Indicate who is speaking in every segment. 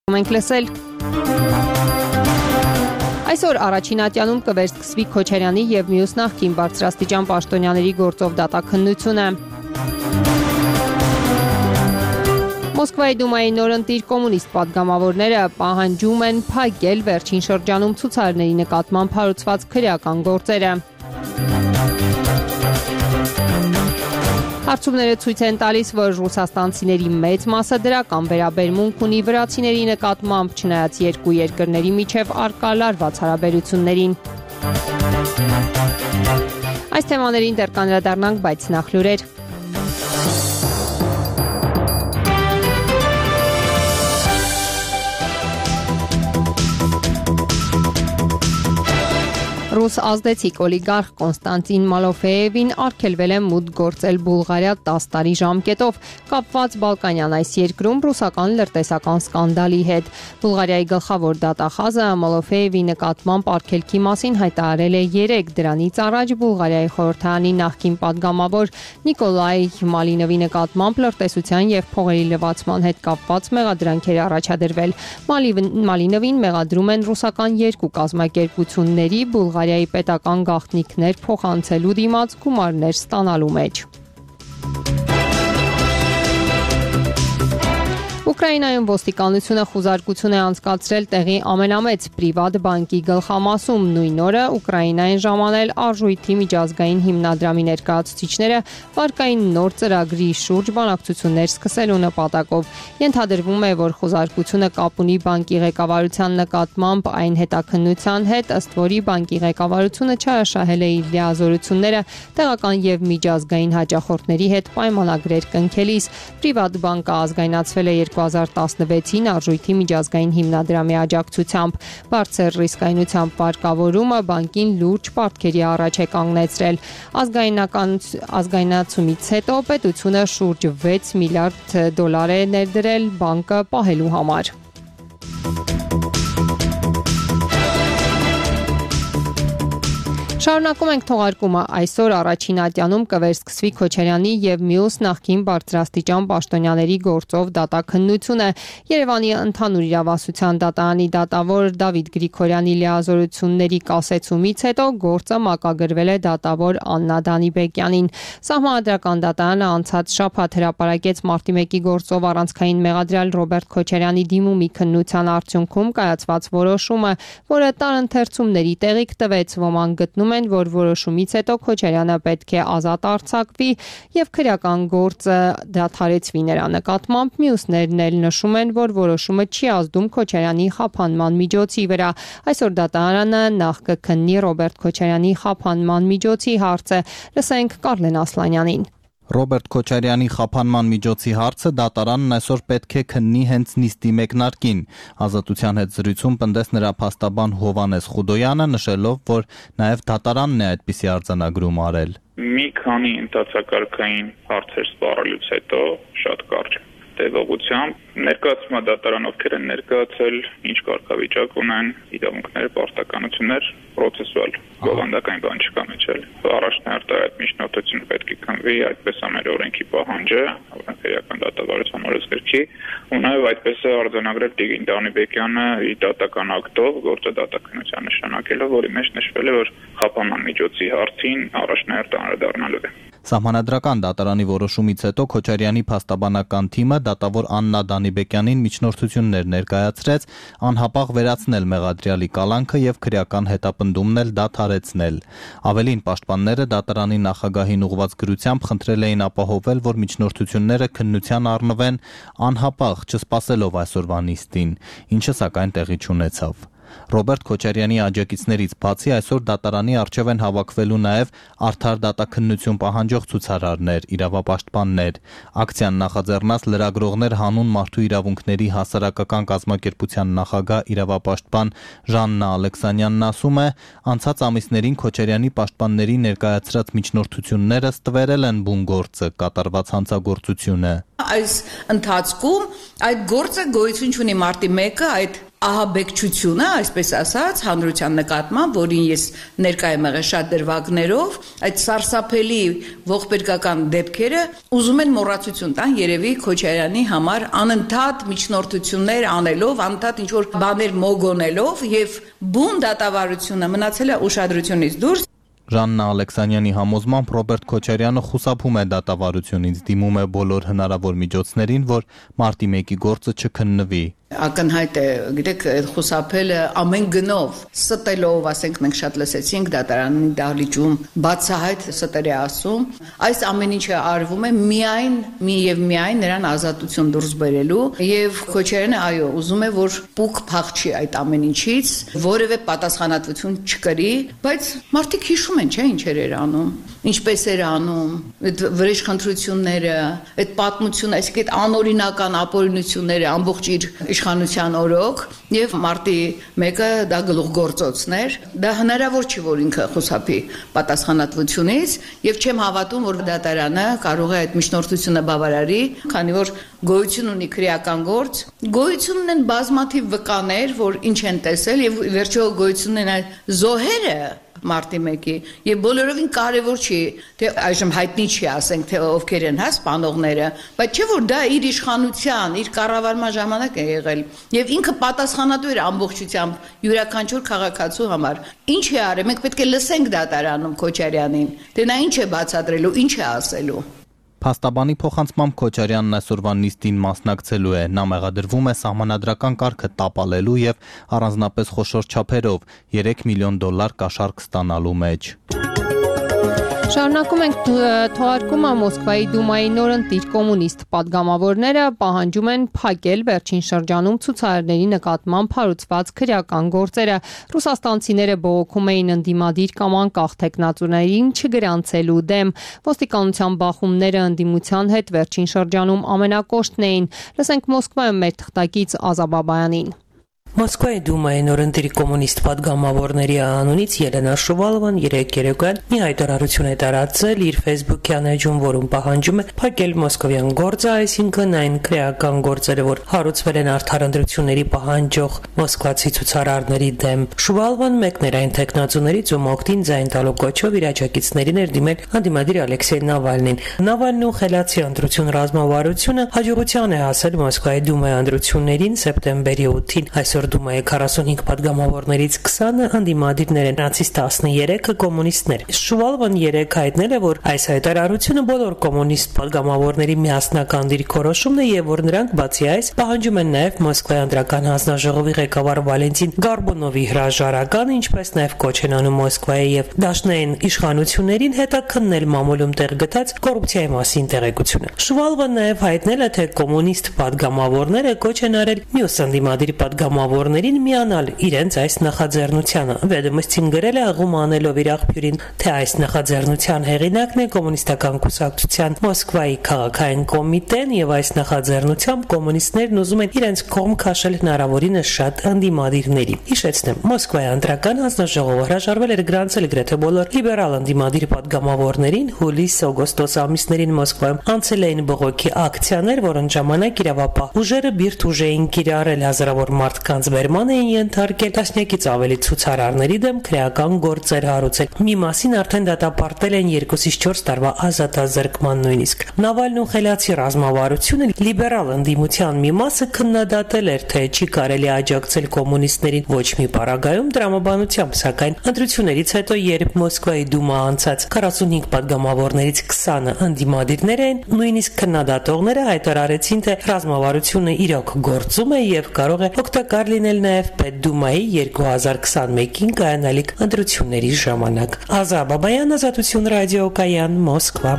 Speaker 1: Մենք լսել Այսօր առաջին ատյանում կվերսկսվի Քոչարյանի և մյուս նախկին բարձրաստիճան պաշտոնյաների գործով դատաքննությունը։ Մոսկվայի դումայի նորընտիր կոմունիստ պատգամավորները պահանջում են փակել վերջին շրջանում ցուցարարների նկատմամբ հարուցված քրեական գործերը։ Հարցումները ցույց են տալիս, որ ռուսաստանցիների մեծ մասը դրական վերաբերմունք ունի վրացիների նկատմամբ, չնայած երկու երկրների միջև առկա լարված հարաբերություններին։ Այս թեմաներին դեռ կանդրադառնանք, բայց նախ լուրեր։ Ռուս ազդեցիկ օլիգարխ Կոնստանտին Մալոֆեևին արգելվել է մուտք գործել Բուլղարիա 10 տարի ժամկետով, կապված Բալկանյան այս երկրում ռուսական լրտեսական սկանդալի հետ։ Բուլղարիայի գլխավոր դատախազը Մալոֆեևի նկատմամբ արգելքի մասին հայտարարել է 3, դրանից առաջ Բուլղարիայի խորհրդարանի նախկին պատգամավոր Նիկոլայ Մալինովի նկատմամբ լրտեսության և փողերի լվացման հետ կապված մեղադրանքեր առաջադրվել։ Մալինովին մեղադրում են ռուսական երկու կազմակերպությունների Բուլղարիայի պետական գաղտնիքներ փոխանցելու դիմաց գումարներ ստանալու մեջ։ Ուկրաինայում ոստիկանությունը խուզարկություն է անցկացրել տեղի ամենամեծ պրիվատ բանկի գլխամասում։ Նույն օրը Ուկրաինային ժամանել արժույթի միջազգային հիմնադրամի ներկայացուցիչները վարկային նոր ծրագրի շուրջ բանակցություններ սկսելու նպատակով։ Ենթադրվում է, որ խուզարկությունը կապ ունի բանկի ղեկավարության նկատմամբ այն հետաքննության հետ, ըստ որի բանկի ղեկավարությունը չարաշահել է իր լիազորությունները տեղական և միջազգային հաճախորդների հետ պայմանագրեր կնքելիս։ Պրիվատ բանկը ազգայնացվել է 2016-ին արժույթի միջազգային հիմնադրամի աջակցությամբ։ Բարձր ռիսկայնությամբ վարկավորումը բանկին լուրջ պարտքերի առաջ է կանգնեցրել։ Ազգայնացումից հետո պետությունը շուրջ 6 միլիարդ դոլար է ներդրել բանկը պահելու համար։ Շարունակում ենք թողարկումը։ Այսօր առաջին ատյանում կվերսկսվի Քոչարյանի և մյուս նախկին բարձրաստիճան պաշտոնյաների գործով դատաքննությունը։ Երևանի ընդհանուր իրավասության դատարանի դատավոր Դավիթ Գրիգորյանի լիազորությունների կասեցումից հետո գործը մակագրվել է դատավոր Աննա Դանիբեկյանին։ Սահմանադրական դատարանը անցած շաբաթ հրապարակեց մարտի 1-ի գործով առանցքային մեղադրյալ Ռոբերտ Քոչարյանի դիմումի քննության արդյունքում կայացված որոշումը, որը տարընթերցումների տեղիք տվեց։ Ոմանք գտնում են, որ որոշումից հետո Քոչարյանը պետք է ազատ արձակվի և քրեական գործը դադարեցվի նրա նկատմամբ։ Մյուսներն էլ նշում են, որ որոշումը չի ազդում Քոչարյանի խափանման միջոցի վրա։ Այսօր դատարանը նախ կքննի Ռոբերտ Քոչարյանի խափանման միջոցի հարցը։ Լսենք Կարլեն Ասլանյանին։
Speaker 2: Ռոբերտ Քոչարյանի խափանման միջոցի հարցը դատարանն այսօր պետք է քննի հենց նիստի մեկնարկին։ Ազատության հետ զրույցում պնդեց նրա փաստաբան Հովհաննես Խուդոյանը, նշելով, որ նաև դատարանն է այդպիսի արձանագրում արել։
Speaker 3: Մի քանի ընդհանրակարգային հարցեր սպառելուց հետո շատ կարճ տևողությամբ ներկայացումը դատարան ովքեր են ներկայացել, ինչ կարգավիճակ ունեն, իրավունքներ, պարտականություններ, պրոցեսուալ բովանդակային բան չկա մեջ էլ։ Առաջնահերթ այդ միջնորդությունը պետք է քննվի, այդպես է մեր օրենքի պահանջը, օրենքերական դատավարության օրենսգրքի, ու նաև այդպես է արձանագրել Տիգրան Դանիբեկյանը իր դատական ակտով գործը դատաքննության նշանակելով, որի մեջ նշվել է, որ խափանման միջոցի հարցին առաջնահերթ անդրադառնալու է։
Speaker 2: Սահմանադրական դատարանի որոշումից հետո Քոչարյանի փաստաբանական թիմը դատավոր Աննա Դանիբեկյանին միջնորդություններ ներկայացրեց անհապաղ վերացնել մեղադրյալի կալանքը և քրեական հետապնդումն էլ դադարեցնել։ Ավելին, պաշտպանները դատարանի նախագահին ուղղված գրությամբ խնդրել էին ապահովել, որ միջնորդությունները քննության առնվեն անհապաղ, չսպասելով այսօրվա նիստին, ինչը սակայն տեղի չունեցավ։ Ռոբերտ Քոչարյանի աջակիցներից բացի այսօր դատարանի առջև են հավաքվելու նաև արդար դատաքննություն պահանջող ցուցարարներ, իրավապաշտպաններ։ Ակցիան նախաձեռնած լրագրողներ հանուն մարդու իրավունքների հասարակական կազմակերպության նախագահ իրավապաշտպան Ժաննա Ալեքսանյանն ասում է, անցած ամիսներին Քոչարյանի պաշտպանների ներկայացրած միջնորդությունները ստվերել են բուն գործը, կատարված հանցագործությունը։
Speaker 4: Այս ընթացքում այդ գործը գոյություն ունի մարտի 1-ը, այդ ահաբեկչությունը, այսպես ասած, հանրության նկատմամբ, որին ես ներկայ եմ եղել շատ դրվագներով, այդ սարսափելի ողբերգական դեպքերը ուզում են մոռացություն տան երևի Քոչարյանի համար անընդհատ միջնորդություններ անելով, անընդհատ ինչ-որ բաներ մոգոնելով եւ բուն դատավարությունը մնացել է ուշադրությունից դուրս։
Speaker 2: Ժաննա Ալեքսանյանի համոզմամբ Ռոբերտ Քոչարյանը խուսափում է դատավարությունից, դիմում է բոլոր հնարավոր միջոցներին, որ մարտի 1-ի գործը չքննվի։
Speaker 4: Ակնհայտ է, գիտեք, խուսափելը ամեն գնով, ստելով, ասենք մենք շատ լսեցինք դատարանի դահլիճում, բացահայտ ստեր է ասում, այս ամեն ինչը արվում է միայն նրան ազատություն դուրս բերելու եւ Քոչարյանը այո, ուզում է որ պուկ փախչի այդ ամեն ինչից, որևէ պատասխանատվություն չկրի, բայց մարդիկ հիշում են, չէ՞, ինչեր էր անում, ինչպես էր անում, այդ վրեժխնդրությունները, այդ պատմությունը, այսինքն այդ անօրինական ապօրինությունները ամբողջ իր իշխանության օրոք եւ մարտի 1-ը դա գլուխգործոցներ, դա հնարավոր չի որ ինքը խուսափի պատասխանատվությունից եւ չեմ հավատում որ դատարանը կարող է այդ միջնորդությունը բավարարի, քանի որ գոյություն ունի քրեական գործ, գոյություն ունեն բազմաթիվ վկաներ, որ ինչ են տեսել եւ վերջո գոյություն ունեն այդ զոհերը մարտի 1-ի եւ բոլորովին կարեւոր չի թե այժմ հայտնի չի ասենք թե ովքեր են սպանողները, բայց չէ որ դա իր իշխանության, իր կառավարման ժամանակ է եղել եւ ինքը պատասխանատու էր ամբողջությամբ յուրաքանչյուր քաղաքացու համար։ Ինչ է արել, մենք պետք է լսենք դատարանում Քոչարյանին, թե նա ինչ է բացատրելու, ինչ է ասելու։
Speaker 2: Փաստաբանի փոխանցմամբ Քոչարյանն այսօրվա նիստին մասնակցելու է, նա մեղադրվում է սահմանադրական կարգը տապալելու եւ առանձնապես խոշոր չափերով $3 միլիոն կաշառք ստանալու մեջ։
Speaker 1: Շարունակում ենք թողարկումը Մոսկվայի Դումայի նորընտիր կոմունիստ պատգամավորները պահանջում են փակել վերջին շրջանում ցուցարարների նկատմամբ հարուցված քրեական գործերը։ Ռուսաստանցիները բողոքում էին ընդդիմադիր կամ անկախ տեխնացուներին չգրանցելու դեմ։ Ոստիկանության բախումները ընդդիմության հետ վերջին շրջանում ամենակոշտն էին։ Լսենք Մոսկվայում մեր թղթակից Ազա Բաբայանին։
Speaker 5: Մոսկվայի Դումայի նորընտիր կոմունիստ պատգամավորների անունից Ելենա Շուվալովան երեկոյան մի հայտարարություն է տարածել իր Facebook-յան էջում, որում պահանջում է փակել մոսկովյան գործը, այսինքն այն քրեական գործերը, որ հարուցվել են արդար ընտրությունների պահանջող մոսկվացի ցուցարարների դեմ։ Շուվալովան մեկն էր այն տեխնացուներից, ում օգտին ձայն տալու կոչով իր աջակիցներին էր դիմել ընդդիմադիր Ալեքսեյ Նավալնին։ Նավալնու խելացի ընտրություն ռազմավարությունը հաջողության է հասել Մոսկվայի Դումայի ընտրություններին սեպտեմբերի 8-ին։ Այսօր Դումայի 45 պատգամավորներից 20-ը ընդդիմադիրներ են, նրանցից 13-ը կոմունիստներ։ Շուվալովան երեկ հայտնել է, որ այս հայտարարությունը բոլոր կոմունիստ պատգամավորների միասնական դիրքորոշումն է եւ որ նրանք բացի այս պահանջում են նաեւ Մոսկվայի անդրական հանձնաժողովի ղեկավար Վալենտին Գարբունովի հրաժարականը, ինչպես նաեւ կոչ են անում Մոսկվայի եւ դաշնային իշխանություններին հետաքննել մամուլում տեղ գտած կոռուպցիայի մասին տեղեկությունը։ Շուվալովան նաեւ հայտնել է, թե կոմունիստ պատգամավորները կոչ են արել մյուս ընդդիմադիր պատգամավորներին միանալ իրենց այս նախաձեռնությանը։ Վեդոմստին գրել է աղում անելով իր աղբյուրին, թե այս նախաձեռնության հեղինակն է կոմունիստական կուսակցության Մոսկվայի քաղաքային կոմիտեն եւ այս նախաձեռնությամբ կոմունիստներն ուզում են իրենց կողմ քաշել հնարավորինս շատ ընդդիմադիրների։ Հիշեցնեմ, Մոսկվայի անդրական հանձնաժողովը հրաժարվել էր գրանցել գրեթե բոլոր լիբերալ ընդդիմադիր պատգամավորներին հուլիս-օգոստոս ամիսներին Մոսկվայում անցել էին բողոքի ակցիաներ, որոնց ժամանակ իրավապահ ուժերը բիրտ ուժ էին կիրառել, հազարավոր մարդկանց բերման էին ենթարկել, տասնյակից ավելի ցուցարարների դեմ քրեական գործեր հարուցել։ Մի մասին արդեն դատապարտել են 2-ից 4 տարվա ազատազրկման նույնիսկ։ Նավալնու խելացի ռազմավարությունը լիբերալ ընդդիմության մի մասը քննադատել էր, թե չի կարելի աջակցել կոմունիստներին ոչ մի պարագայում տրամաբանությամբ, սակայն ընտրություններից հետո, երբ Մոսկվայի Դումա անցած 45 պատգամավորներից 20-ը ընդդիմադիրներ էին, նույնիսկ քննադատողները հայտարարեցին, թե ռազմավարությունը իրոք գործում է եւ կարող է օգտակար լինել նաեւ Պետդումայի 2021-ին կայանալիք ընտրությունների ժամանակ։ Ազա Բաբայան, Ազատություն ռադիոկայան, Մոսկվա։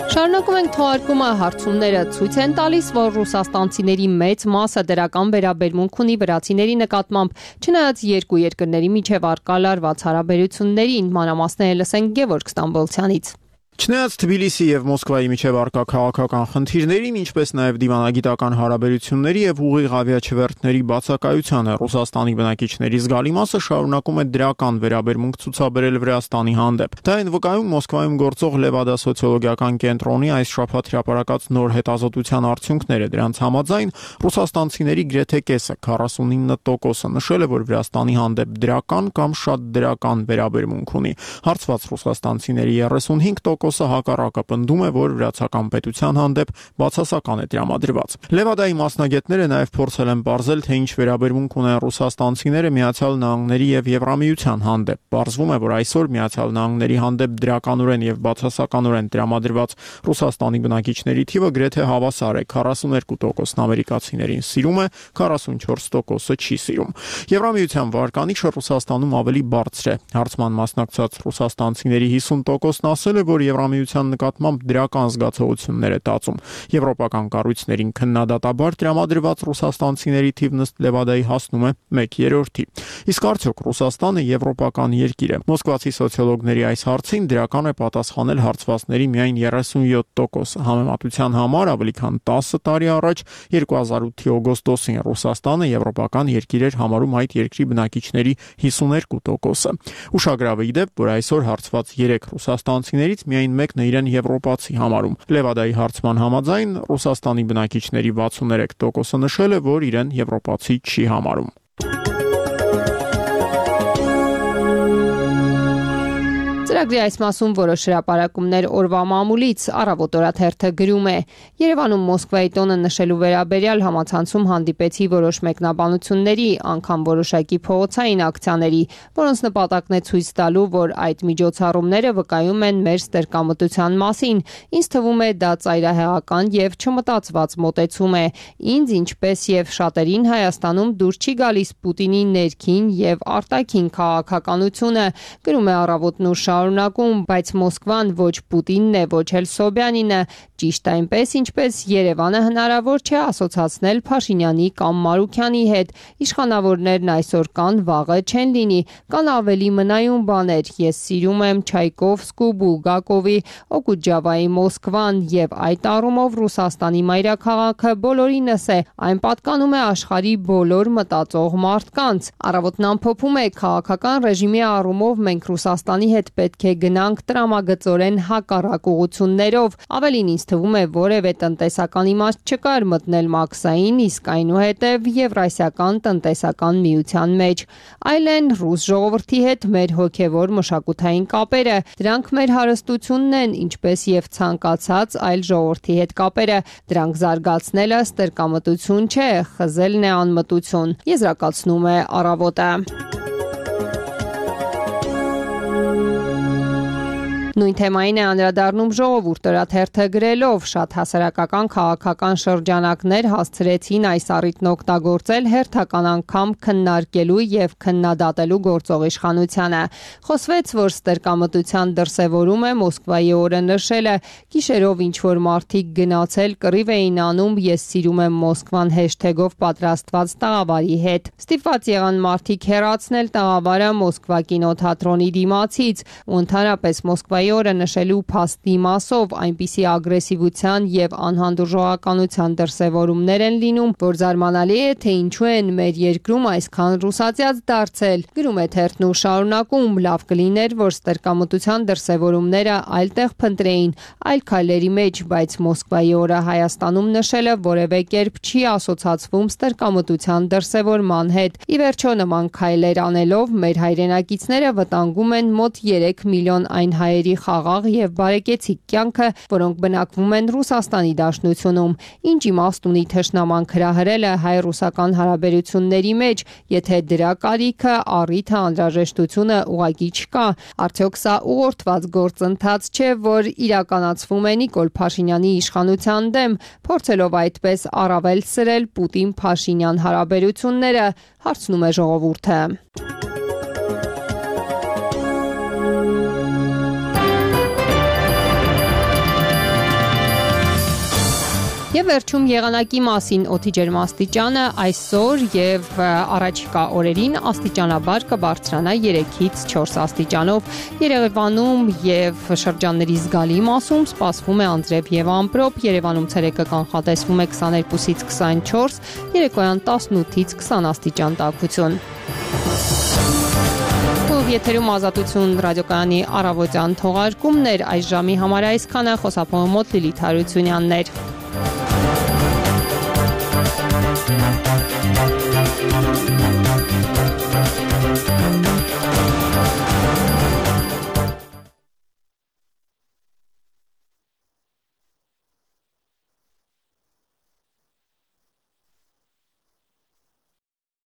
Speaker 1: Շարունակում ենք թողարկումը, հարցումները ցույց են տալիս, որ ռուսաստանցիների մեծ մասը դրական վերաբերմունք ունի վրացիների նկատմամբ, չնայած երկու երկրների միջև առկա լարված հարաբերություններին, մանրամասները լսենք Գևորգ Ստամբոլցյանից։
Speaker 6: Չնայած Թբիլիսի եւ Մոսկվայի միջև առկա քաղաքական խնդիրներին, ինչպես նաեւ դիվանագիտական հարաբերությունների եւ ուղիղ ավիաչվերթների բացակայությանը, Ռուսաստանի բնակիչների զգալի մասը շարունակում է դրական վերաբերմունք ցուցաբերել Վրաստանի հանդեպ։ Դա այն վկայում Մոսկվայում գործող Լևադա սոցիոլոգիական կենտրոնի այս շաբաթ հրապարակած նոր հետազոտության արդյունքները։ Դրանց համաձայն ռուսաստանցիների գրեթե կեսը 49% նշել է, որ Վրաստանի հանդեպ դրական կամ շատ դրական վերաբերմունք ունի։ Հարցված ռուսաստանցիների 35% հակառակը պնդում է, որ վրացական պետության հանդեպ բացասական է տրամադրված։ Լևադայի մասնագետները նաև փորձել են ողջել, թե ինչ վերաբերմունք ունեն ռուսաստանցիները Միացյալ Նահանգների եւ Եվրամիության հանդեպ։ Պարզվում է, որ այսօր Միացյալ Նահանգների հանդեպ դրականորեն եւ բացասականորեն տրամադրված Ռուսաստանի բնակիչների թիվը գրեթե հավասար է։ 42%-ն ամերիկացիներին սիրում է, 44%-ը չի սիրում։ Եվրամիության վարկանիշը Ռուսաստանում ավելի բարձր է։ Հարցման մասնակցած ռուսաստանցիների 50%-ն ասել է, որ Եվրամիության նկատմամբ դրական զգացողություններ է տածում։ Եվրոպական կառույցներին քննադատաբար տրամադրված ռուսաստանցիների թիվն ըստ Լևադայի հասնում է 1/3-ի։ Իսկ արդյոք Ռուսաստանը եվրոպական երկիր է։ Մոսկվացի սոցիոլոգների այս հարցին դրական է պատասխանել հարցվածների միայն 37%։ Համեմատության համար ավելի քան 10 տարի առաջ 2008-ի օգոստոսին Ռուսաստանը եվրոպական երկիր էր համարում այդ երկրի բնակիչների 52%-ը։ Ուշագրավ է ի դեպ, որ այսօր հարցված 3 ռուսաստանցիներից միայն մեկն է իրեն եվրոպացի համարում։ Լևադայի հարցման համաձայն Ռուսաստանի բնակիչների 63%-ը նշել է, որ իրեն եվրոպացի չի համարում։
Speaker 1: Ծրագրի այս մասում որոշ հրապարակումներ օրվա մամուլից առավոտ օրաթերթը գրում է. Երևանում Մոսկվայի տոնը նշելու վերաբերյալ համացանցում հանդիպեցի որոշ մեկնաբանությունների, անգամ որոշակի փողոցային ակցիաների, որոնց նպատակն է ցույց տալու, որ այդ միջոցառումները վկայում են մեր ստրկամտության մասին։ Ինձ թվում է դա ծայրահեղական եւ չմտածված մոտեցում է։ Ինձ, ինչպես եւ շատերին Հայաստանում դուր չի գալիս Պուտինի ներքին եւ արտաքին քաղաքականությունը, գրում է առավոտն ու շարունակում, բայց Մոսկվան ոչ Պուտինն է, ոչ էլ Սոբյանինը, ճիշտ այնպես, ինչպես Երևանը հնարավոր չէ ասոցացնել Փաշինյանի կամ Մարուքյանի հետ։ Իշխանավորներն այսօր կան, վաղը չեն լինի, կան ավելի մնայուն բաներ։ Ես սիրում եմ Չայկովսկու, Բուլգակովի, Օկուջավայի Մոսկվան եւ այդ առումով Ռուսաստանի մայրաքաղաքը բոլորինս է, այն պատկանում է աշխարհի բոլոր մտածող մարդկանց։ Առավոտն ամփոփում է քաղաքական ռեժիմի առումով մենք Ռուսաստանի հետ պետք է գնանք տրամագծորեն հակառակ ուղղություններով։ Ավելին ինձ թվում է որևէ տնտեսական իմաստ չկար մտնել մաքսային, իսկ այնուհետև Եվրասիական տնտեսական միության մեջ։ Այլ են ռուս ժողովրդի հետ մեր հոգևոր մշակութային կապերը։ Դրանք մեր հարստությունն են, ինչպես եւ ցանկացած այլ ժողովրդի հետ կապերը։ Դրանք զարգացնելը ստրկամտություն չէ, խզելն է անմտություն։ Եզրակացնում է առավոտը։ Նույն թեմային է անդրադառնում Ժողովուրդ օրաթերթը գրելով. շատ հասարակական քաղաքական շրջանակներ հասցրեցին այս առիթն օգտագործել հերթական անգամ քննարկելու եւ քննադատելու գործող իշխանությանը։ Խոսվեց, որ ստրկամտության դրսևորում է Մոսկվայի օրը նշելը, գիշերով ինչ որ մարդիկ գնացել կռիվ էին անում ես սիրում եմ Մոսկվան հեշթեգով պատրաստված տաղավարի հետ։ Ստիպված եղան մարդիկ հեռացնել տաղավարը Մոսկվա կինոթատրոնի դիմացից ու ընդհանրապես Մոսկվայի օրը նշելու փաստի մասով այնպիսի ագրեսիվության եւ անհանդուրժողականության դրսևորումներ են լինում, որ զարմանալի է, թե ինչու են մեր երկրում այսքան ռուսացիած դարձել։ Գրում է թերթն ու շարունակում, լավ կլիներ, որ ստրկամտության դրսևորումները այլտեղ փնտրեին, այլ քայլերի մեջ, բայց Մոսկվայի օրը Հայաստանում նշելը որևէ կերպ չի ասոցացվում ստրկամտության դրսևորման հետ։ Ի վերջո նման քայլեր անելով մեր հայրենակիցները վտանգում են մոտ 3 միլիոն այն հայերի խաղաղ եւ բարեկեցիկ կյանքը, որոնք բնակվում են Ռուսաստանի Դաշնությունում։ Ինչ իմաստ ունի թշնաման հրահրելը հայ-ռուսական հարաբերությունների մեջ, եթե դրա կարիքը, առիթը, անհրաժեշտությունը ուղղակի չկա։ Արդյոք սա ուղղորդված գործընթաց չէ, որ իրականացվում է Նիկոլ Փաշինյանի իշխանության դեմ, փորձելով այդպես առավել սրել Պուտին-Փաշինյան հարաբերությունները, հարցնում է Ժողովուրդը։ Եվ վերջում եղանակի մասին օդի ջերմաստիճանը այսօր եւ առաջիկա օրերին աստիճանաբար կբարձրանա 3-ից 4 աստիճանով։ Երևանում եւ շրջանների զգալի մասում սպասվում է անձրև եւ ամպրոպ։ Երևանում ցերեկը կանխատեսվում է 22-ից 24, երեկոյան 18-ից 20 աստիճան տաքություն։ Եթերում Ազատություն ռադիոկայանի առավոտյան թողարկումներ այս ժամի համար այսքանը, խոսափողը մոտ Լիլիթ Հարությունյանն էր։